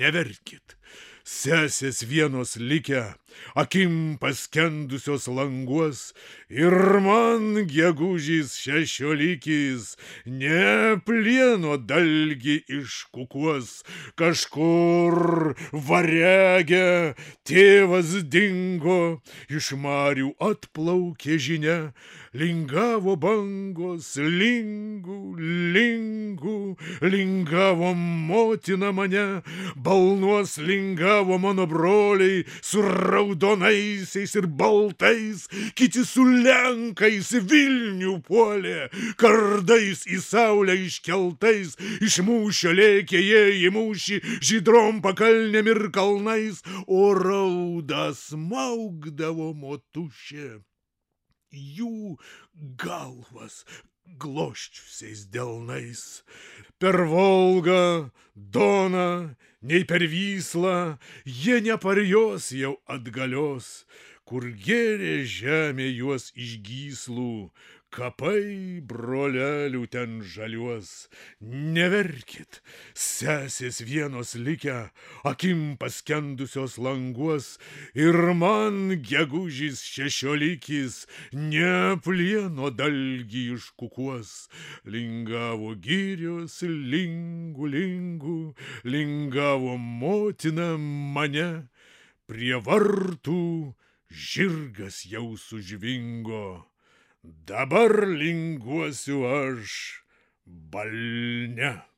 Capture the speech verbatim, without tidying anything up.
neverkit. Sesės vienos likę, akim paskendusios languos, ir man gegužis šešiolikis ne plieno dalgį iškukuos. Kažkur varege tėvas dingo, iš marių atplaukė žinia, lingavo bangos, lingų, lingų, lingavo motina mane, balnuos lingavo mano broliai su raudonaisiais ir baltais, kiti su lenkais Vilnių puolė, kardais į saulę iškeltais, iš mūšio lėkė jie į mūšį žydrom pakalnėm ir kalnais, o raudą smaugdavo motušė jų galvas gloščiusiais delnais. Per Volgą, Doną, nei per Vyslą jie neparjos jau atgalios, kur gėrė žemė juos iš gyslų, kapai brolelių ten žaliuos. Neverkit, sesės vienos likę, akim paskendusios languos, ir man gegužis šešiolikis ne plieno dalgį iškukuos. Lingavo girios, lingų, lingų, lingavo motina mane, prie vartų žirgas jau sužvingo. Dabar linguosiu aš balne.